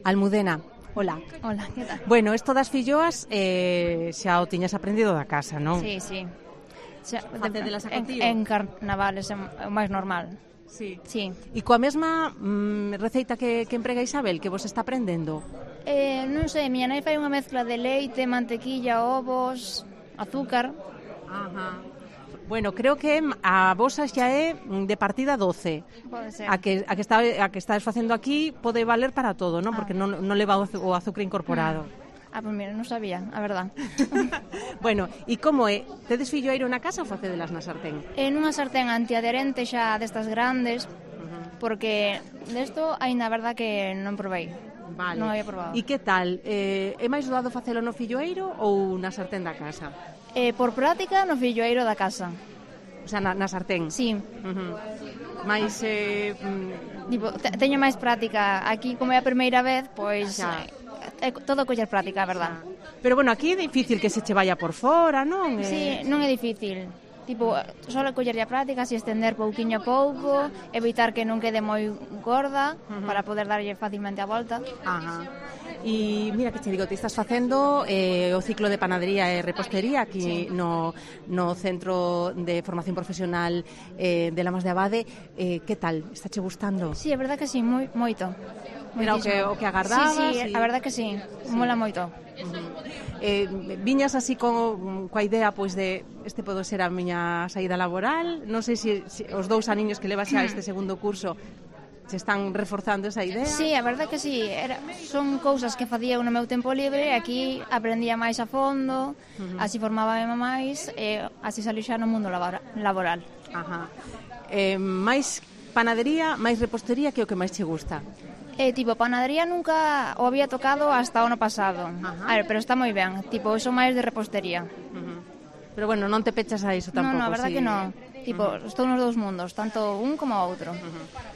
Almudena, hola. Hola, que tal? Bueno, isto das filloas xa o tiñas aprendido da casa, non? Sí, sí. Facedelas a cotío? En carnavales é o máis normal. Sí. Sí. E coa mesma receita que emprega Isabel, que vos está aprendendo? Non sei, miña nai fai unha mezcla de leite, mantequilla, ovos, azúcar. Ajá. Bueno, creo que a vosa xa é de partida 12. Pode ser. A que estás facendo aquí pode valer para todo, non? Porque non leva o azúcar incorporado. Pois mira, non sabía, a verdad. Bueno, e como é? Tedes filloeiro na casa ou facedelas na sartén? Nunha sartén antiaderente xa destas grandes, porque desto aínda a verdad que non provei. Vale. Non había probado. E que tal? É máis doado facelo no filloeiro ou na sartén da casa? Por práctica, no filloeiro da casa. O sea, na sartén? Sí. Mais... Teño máis práctica. Aquí, como é a primeira vez, pois... É todo coller práctica, a verdad. Pero bueno, aquí é difícil que se che vaya por fora, non? Sí, non é difícil. Só collerlle a práctica, así estender pouquiño a pouco, evitar que non quede moi gorda, para poder darlle facilmente a volta. Ajá. E mira que che digo, ti estás facendo o ciclo de panadería e repostería aquí no Centro de Formación Profesional de Lamas de Abade. Que tal? Está che gustando? Sí, a verdad que sí, moito. Era o que agardabas? Sí, a verdad que sí, mola moito. Viñas así coa idea pois de este pode ser a miña saída laboral. Non sei se os 2 aniños que levas xa este segundo curso se están reforzando esa idea. Sí, a verdad que sí, son cousas que facía no meu tempo libre e aquí aprendía máis a fondo, así formábame máis e así salí xa no mundo laboral. Ajá. Máis panadería, máis repostería, que é o que máis che gusta? Panadería nunca o había tocado hasta o ano pasado. Pero está moi ben. Son máis de repostería. Pero bueno, non te pechas a iso tampouco. Non, a verdad que non. Estou nos 2 mundos, tanto un como o outro.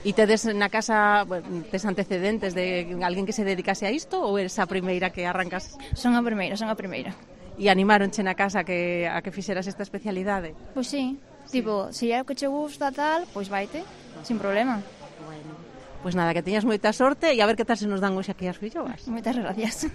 E tedes na casa, tes antecedentes de alguén que se dedicase a isto ou eres a primeira que arrancas? Son a primeira. E animáronche na casa a que fixeras esta especialidade? Pois sí. Se é o que che gusta tal, pois vaite, sin problema. Pois nada, que teñas moita sorte e a ver que tal se nos dan hoxe aquí as filloas. Moitas gracias.